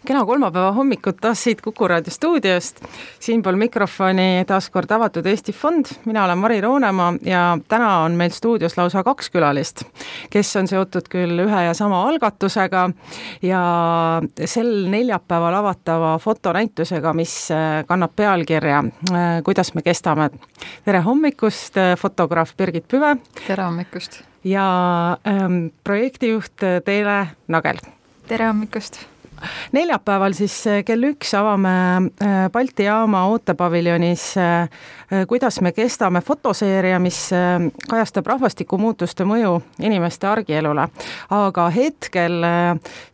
Kena kolmapäeva hommikut taas siit Kuku Raadio stuudiost. Siinpool mikrofoni taas kord Avatud Eesti Fond. Mina olen Mari Roonemaa ja täna on meil stuudios lausa 2 külalist, kes on seotud küll ühe ja sama algatusega ja sel neljapäeval avatava fotonäitusega, mis kannab pealkirja Kuidas me kestame. Tere hommikust, fotograaf Birgit Püve. Tere hommikust. Ja projektijuht Teele Nagel. Tere hommikust. Neljapäeval siis kell 1 avame Balti jaama ootepaviljonis Kuidas me kestame fotoseeria, mis kajastab rahvastikumuutuste mõju inimeste argielule. Aga hetkel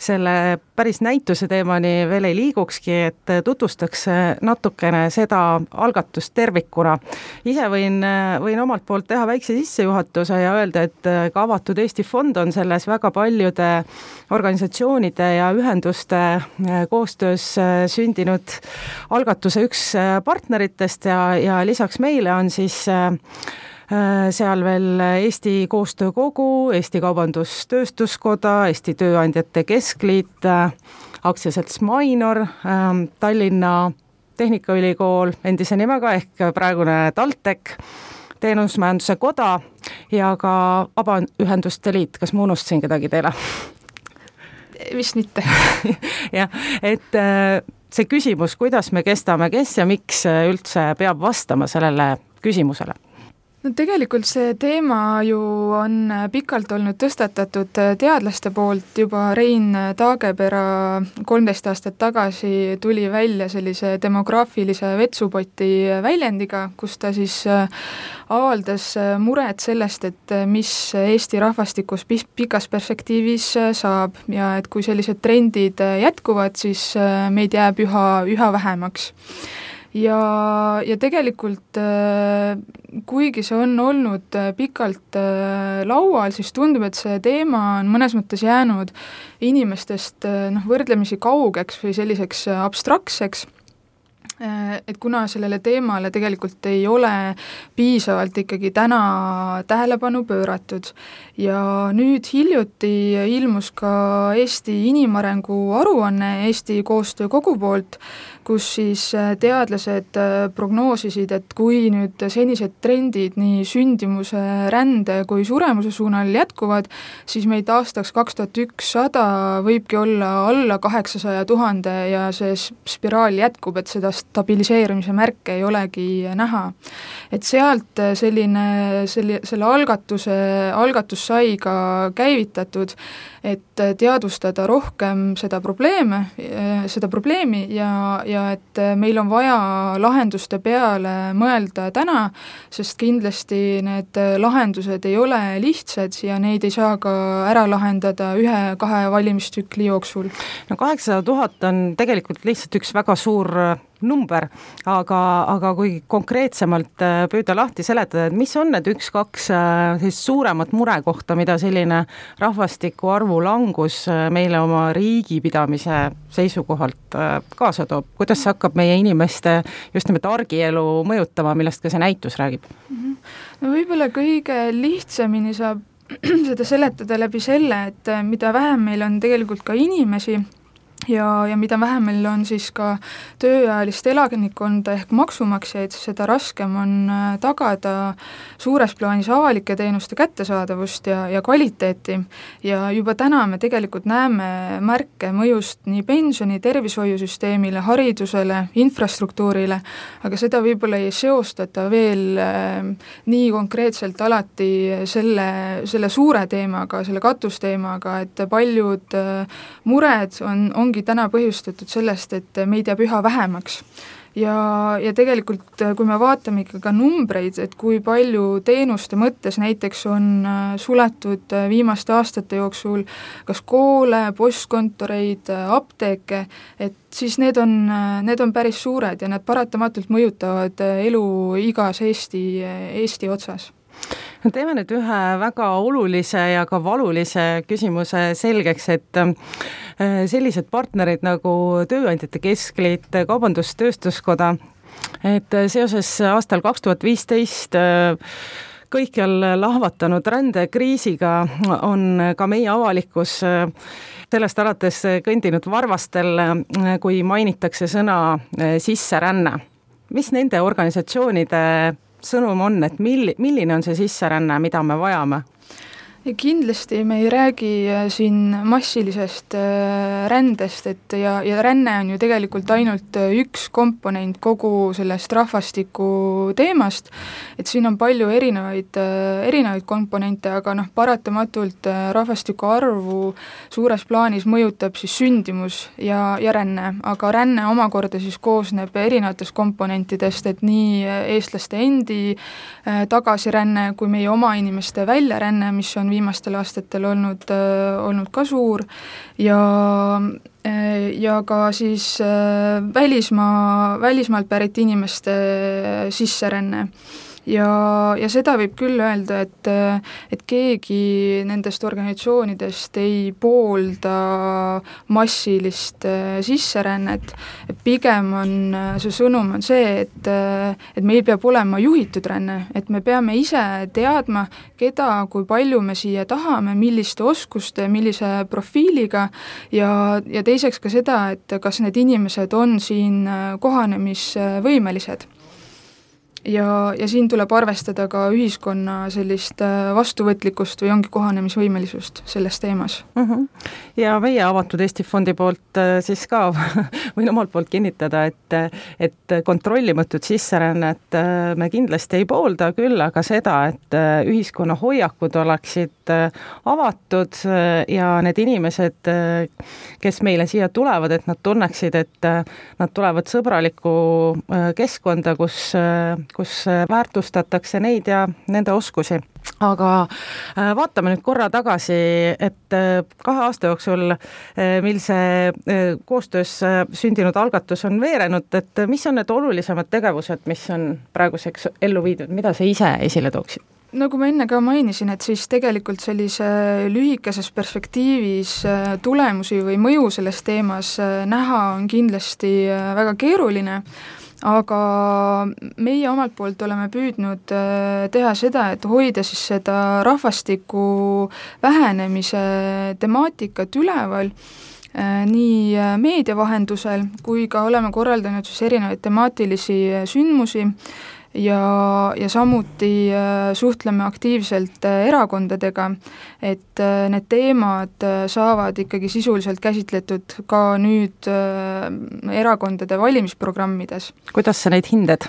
selle päris näituse teemani veel ei liigukski, et tutvustaks natukene seda algatust tervikuna. Ise võin omalt poolt teha väikse sissejuhatuse ja öelda, et ka Avatud Eesti Fond on selles väga paljude organisatsioonide ja ühenduste koostöös sündinud algatuse üks partneritest ja lisaks meile on siis seal veel Eesti Koostöökogu, Eesti Kaubandus-Tööstuskoda, Eesti Tööandjate Keskliit, aktsiaselts Mainor, Tallinna Tehnikaülikool, endise nimega ehk praegune TalTech, Teenusmajanduse Koda ja ka Vabaühenduste Liit. Kas ma unustasin kedagi teile? Vist mitte. Jah, et see küsimus, kuidas me kestame, kes ja miks üldse peab vastama sellele küsimusele? No tegelikult see teema ju on pikalt olnud tõstatatud teadlaste poolt, juba Rein Taagepera 13 aastat tagasi tuli välja sellise demograafilise vetsupoti väljendiga, kus ta siis avaldas muret sellest, et mis Eesti rahvastikus pikas perspektiivis saab ja et kui sellised trendid jätkuvad, siis meid jääb üha vähemaks. Ja tegelikult kuigi see on olnud pikalt laual, siis tundub, et see teema on mõnes mõttes jäänud inimestest võrdlemisi kaugeks või selliseks abstraktseks, et kuna sellele teemale tegelikult ei ole piisavalt ikkagi täna tähelepanu pööratud ja nüüd hiljuti ilmus ka Eesti inimarengu aruanne Eesti Koostöökogu poolt, kus siis teadlased prognoosisid, et kui nüüd senised trendid nii sündimuse, rände kui suremuse suunal jätkuvad, siis meid aastaks 2100 võibki olla alla 800 000 ja see spiraal jätkub, et seda stabiliseerimise märke ei olegi näha. Et sealt selle algatus sai ka käivitatud, et teadvustada rohkem seda probleemi ja et meil on vaja lahenduste peale mõelda täna, sest kindlasti need lahendused ei ole lihtsad ja neid ei saa ka ära lahendada 1-2 valimistsükli jooksul. No 800 000 on tegelikult lihtsalt üks väga suur number, aga kui konkreetsemalt püüda lahti seletada, et mis on need 1-2 suuremat murekohta, mida selline rahvastiku arvu langus meile oma riigipidamise seisukohalt kaasa toob? Kuidas see hakkab meie inimeste just nimelt argielu mõjutama, millest ka see näitus räägib? No võib-olla kõige lihtsamini saab seda seletada läbi selle, et mida vähem meil on tegelikult ka inimesi, ja mida vähem meil on siis ka tööealist elanikkonda ehk maksumaksjaid, seda raskem on tagada suures plaanis avalike teenuste kättesaadavust ja kvaliteeti. Ja juba täna me tegelikult näeme märke mõjust nii pensioni, tervishoiusüsteemile, haridusele, infrastruktuurile, aga seda võib-olla ei seostata veel nii konkreetselt alati selle suure teemaga, selle katusteemaga, et paljud mured ongi täna põhjustatud sellest, et meid jääb üha vähemaks. Ja tegelikult, kui me vaatame ikka ka numbreid, et kui palju teenuste mõttes näiteks on suletud viimaste aastate jooksul kas koole, postkontoreid, apteeke, et siis need on päris suured ja need paratamatult mõjutavad elu igas Eesti otsas. No teeme nüüd ühe väga olulise ja ka valulise küsimuse selgeks, et sellised partnerid nagu Tööandjate Keskliit, Kaubandus-Tööstuskoda, et seoses aastal 2015 kõikjal lahvatanud rändekriisiga on ka meie avalikkus sellest alates kõndinud varvastel, kui mainitakse sõna sisseränne. Mis nende organisatsioonide sõnum on, et milline on see sisseränne, mida me vajame? Ja kindlasti me ei räägi siin massilisest rändest, ja ränne on ju tegelikult ainult üks komponent kogu sellest rahvastiku teemast, et siin on palju erinevaid komponente, aga paratamatult rahvastiku arvu suures plaanis mõjutab siis sündimus ja ränne, aga ränne omakorda siis koosneb erinevatest komponentidest, et nii eestlaste endi tagasiränne kui meie oma inimeste väljaränne, mis on viimastel aastatel olnud ka suur ja ka siis välismaalt pärit inimeste sisseränne. Ja seda võib küll öelda, et keegi nendest organisatsioonidest ei poolda massilist sisserännet, pigem on see sõnum on see, et meil peab olema juhitud ränne, et me peame ise teadma, keda, kui palju me siia tahame, milliste oskuste, millise profiiliga ja teiseks ka seda, et kas need inimesed on siin kohanemisvõimelised. Ja siin tuleb arvestada ka ühiskonna sellist vastuvõtlikkust või ongi kohanemisvõimelisust selles teemas. Ja meie Avatud Eesti Fondi poolt siis ka võin omalt poolt kinnitada, et kontrollimatut sisserännet me kindlasti ei poolda, küll aga seda, et ühiskonna hoiakud oleksid avatud ja need inimesed, kes meile siia tulevad, et nad tunneksid, et nad tulevad sõbralikku keskkonda, kus väärtustatakse neid ja nende oskusi. Aga vaatame nüüd korra tagasi, et 2 aasta jooksul, mil see koostöös sündinud algatus on veerenud, et mis on need olulisemad tegevused, mis on praeguseks ellu viidud, mida sa ise esile tooksid? Nagu ma enne ka mainisin, et siis tegelikult sellise lühikeses perspektiivis tulemusi või mõju selles teemas näha on kindlasti väga keeruline, aga meie omalt poolt oleme püüdnud teha seda, et hoida siis seda rahvastiku vähenemise temaatikat üleval nii meedia vahendusel, kui ka oleme korraldanud siis erinevaid temaatilisi sündmusi ja samuti suhtleme aktiivselt erakondadega, et need teemad saavad ikkagi sisuliselt käsitletud ka nüüd erakondade valimisprogrammides. Kuidas sa neid hindad?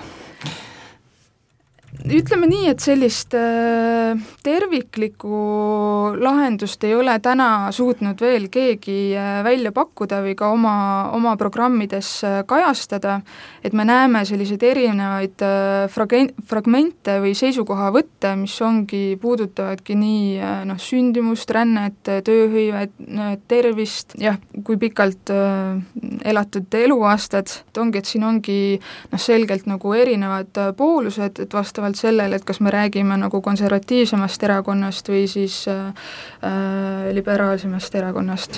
Ütleme nii, et sellist terviklikku lahendust ei ole täna suutnud veel keegi välja pakkuda või ka oma programmides kajastada, et me näeme selliseid erinevaid fragmente või seisukohavõtte, mis puudutavadki nii sündimust, rännet, tööhõivet, tervist, kui pikalt elatud eluaastad, et siin ongi selgelt nagu erinevad poolused, et vastavalt sellele, et kas me räägime nagu konservatiivsemast erakonnast või siis liberaalsemast erakonnast.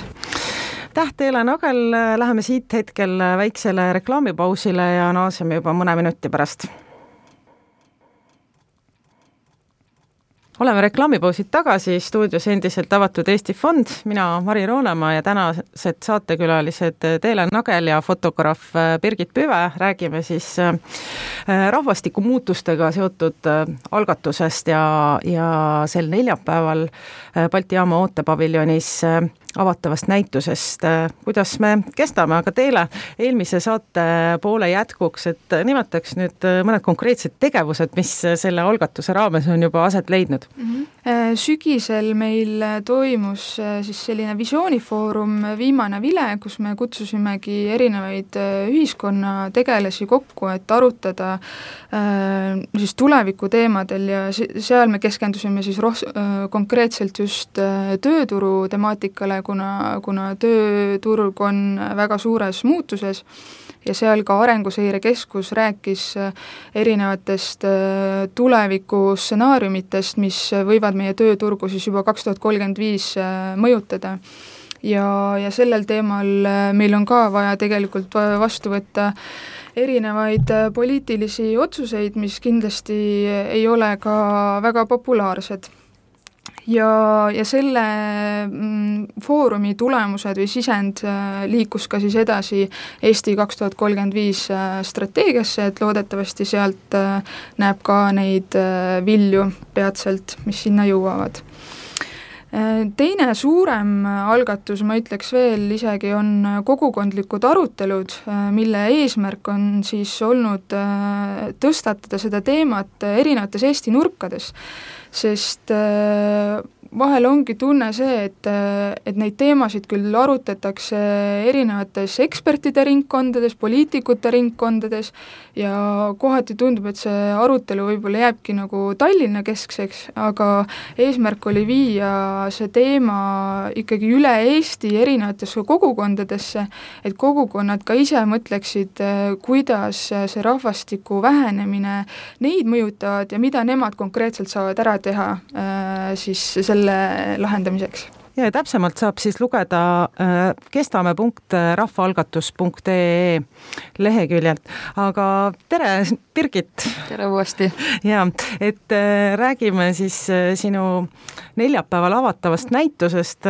Teele Nagel, läheme siit hetkel väiksele reklaamipausile ja naaseme juba mõne minuti pärast. Oleme reklaamipausid tagasi, stuudios endiselt Avatud Eesti Fond, mina Mari Roonemaa ja tänased saatekülalised Teele Nagel ja fotograaf Birgit Püve. Räägime siis rahvastikumuutustega seotud algatusest ja sel neljapäeval Balti jaama ootepaviljonis avatavast näitusest, kuidas me kestame, aga Teele eelmise saate poole jätkuks, et nimetaks nüüd mõned konkreetsed tegevused, mis selle algatuse raames on juba aset leidnud. Sügisel meil toimus siis selline visioonifoorum Viimane vile, kus me kutsusimegi erinevaid ühiskonnategelasi kokku, et arutada siis tuleviku teemadel ja seal me keskendusime siis konkreetselt just tööturu temaatikale, kuna tööturg on väga suures muutuses ja seal ka Arenguseire Keskus rääkis erinevatest tulevikustsenaariumitest, mis võivad meie tööturgu siis juba 2035 mõjutada. ja sellel teemal meil on ka vaja tegelikult vastu võtta erinevaid poliitilisi otsuseid, mis kindlasti ei ole ka väga populaarsed. Ja selle foorumi tulemused või sisend liikus ka siis edasi Eesti 2035 strateegiasse, et loodetavasti sealt näeb ka neid vilju peatselt, mis sinna jõuavad. Teine suurem algatus, ma ütleks veel isegi, on kogukondlikud arutelud, mille eesmärk on siis olnud tõstatada seda teemat erinevates Eesti nurkades, sest vahel ongi tunne see, et neid teemasid küll arutatakse erinevates ekspertide ringkondades, poliitikute ringkondades ja kohati tundub, et see arutelu võib-olla jääbki nagu Tallinna keskseks, aga eesmärk oli viia see teema ikkagi üle Eesti erinevatesse kogukondadesse, et kogukonnad ka ise mõtleksid, kuidas see rahvastiku vähenemine neid mõjutavad ja mida nemad konkreetselt saavad ära teha siis selle lahendamiseks. Ja täpsemalt saab siis lugeda kestame.rahvaalgatus.ee leheküljelt. Aga tere, Birgit! Tere uuesti! Ja, et räägime siis sinu neljapäeval avatavast näitusest.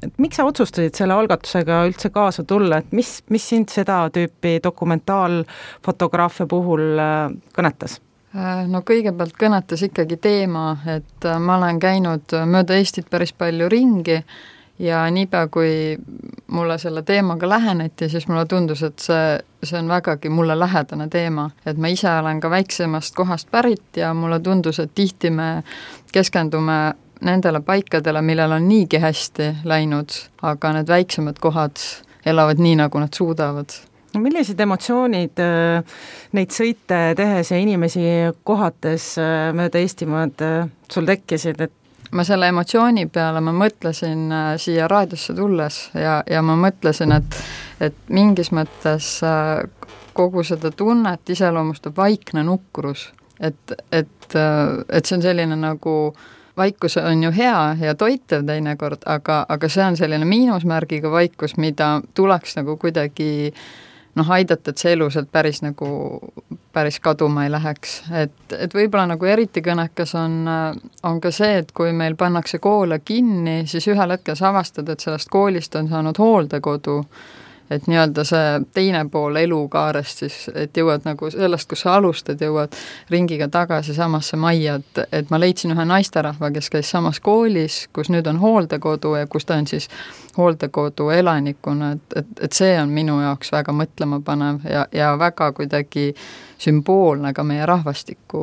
Et miks sa otsustasid selle algatusega üldse kaasa tulla, et mis sind seda tüüpi dokumentaalfotograafia puhul kõnetas? No kõigepealt kõnetas ikkagi teema, et ma olen käinud mööda Eestit päris palju ringi ja niipea, kui mulle selle teemaga läheneti, siis mulle tundus, et see on vägagi mulle lähedane teema, et ma ise olen ka väiksemast kohast pärit ja mulle tundus, et tihti me keskendume nendele paikadele, millel on niigi hästi läinud, aga need väiksemad kohad elavad nii, nagu nad suudavad. Millised emotsioonid neid sõite tehes ja inimesi kohates mööda Eestimaad sul tekkisid? Ma selle emotsiooni peale ma mõtlesin siia raadiosse tulles ja ma mõtlesin, et mingis mõttes kogu seda tunnet iseloomustab vaikne nukrus. Et see on selline nagu vaikus on ju hea ja toitev teinekord, aga see on selline miinusmärgiga vaikus, mida tuleks nagu kuidagi aidata, et see elu sealt päris kaduma ei läheks. Et võib-olla nagu eriti kõnekas on ka see, et kui meil pannakse koole kinni, siis ühel hetkel sa avastad, et sellest koolist on saanud hooldekodu, et nii-öelda see teine pool elukaarest siis, et jõuad nagu sellest, kus sa alustad, jõuad ringiga tagasi samasse majja, et ma leidsin ühe naisterahva, kes käis samas koolis, kus nüüd on hooldekodu ja kus ta on siis hooldekodu elanikuna, et see on minu jaoks väga mõtlema panev ja väga kuidagi sümboolne ka meie rahvastiku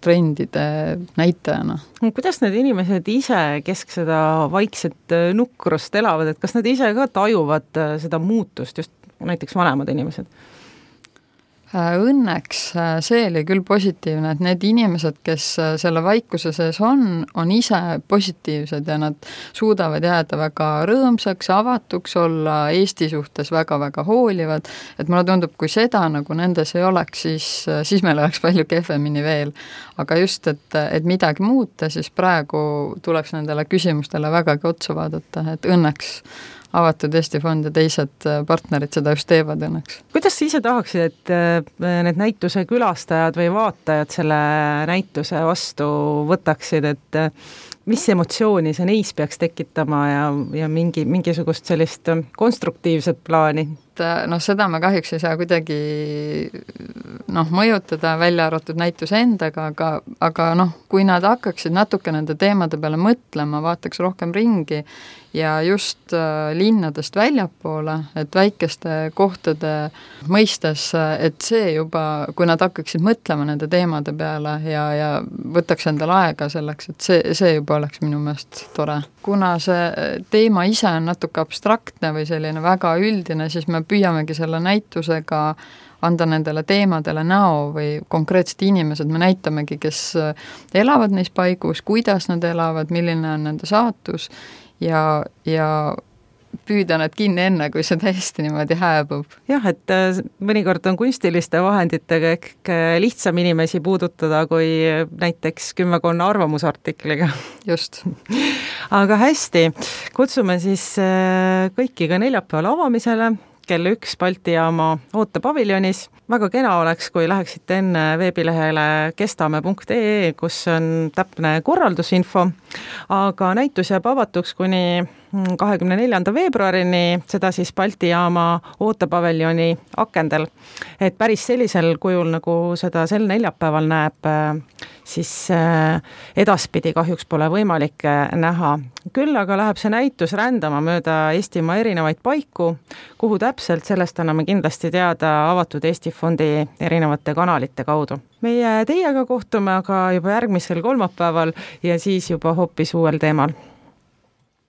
trendide näitajana. Kuidas need inimesed ise seda vaikset nukrust elavad, et kas nad ise ka tajuvad seda muutust, just näiteks vanemad inimesed? Õnneks see oli küll positiivne, et need inimesed, kes selle vaikuse sees on ise positiivsed ja nad suudavad jääda väga rõõmsaks, avatuks, olla Eesti suhtes väga-väga hoolivad, et mulle tundub, kui seda nagu nendes ei oleks, siis meil oleks palju kehvemini veel. Aga just, et midagi muuta, siis praegu tuleks nendele küsimustele vägagi otsa vaadata, et õnneks avatud Eesti Fond ja teised partnerid seda just teevad õnneks. Kuidas sa ise tahaksid, et need näituse külastajad või vaatajad selle näituse vastu võtaksid, et mis emotsiooni see neis peaks tekitama ja mingisugust sellist konstruktiivset plaani? Seda me kahjuks ei saa kuidagi mõjutada välja arvatud näituse endaga, aga kui nad hakkaksid natuke nende teemade peale mõtlema, vaataks rohkem ringi ja just linnadest väljapoole, et väikeste kohtade mõistes, et see juba, kui nad hakkaksid mõtlema nende teemade peale ja võtaks endale aega selleks, et see juba oleks minu meelest tore. Kuna see teema ise on natuke abstraktne või selline väga üldine, siis me püüamegi selle näitusega anda nendele teemadele näo või konkreetsed inimesed, me näitamegi, kes elavad neis paigus, kuidas nad elavad, milline on nende saatus ja püüda nad kinni enne, kui see täiesti niimoodi hääbub. jah, et mõnikord on kunstiliste vahenditega ehk lihtsam inimesi puudutada kui näiteks kümmekonna arvamusartikliga. Just. Aga hästi, kutsume siis kõiki ka neljapäeval avamisele kell 1 Balti jaama ootepaviljonis. Väga kena oleks, kui läheksite enne veebilehele kestame.ee, kus on täpne korraldusinfo, aga näitus jääb avatuks kuni 24. veebruarini, seda siis Balti jaama ootepaviljoni akendel. Et päris sellisel kujul, nagu seda sel neljapäeval näeb, siis edaspidi kahjuks pole võimalik näha. Küll aga läheb see näitus rändama mööda Eestimaa erinevaid paiku, kuhu täpselt, sellest anname kindlasti teada Avatud Eesti Fondi erinevate kanalite kaudu. Meie teiega kohtume aga juba järgmisel kolmapäeval ja siis juba hoopis uuel teemal.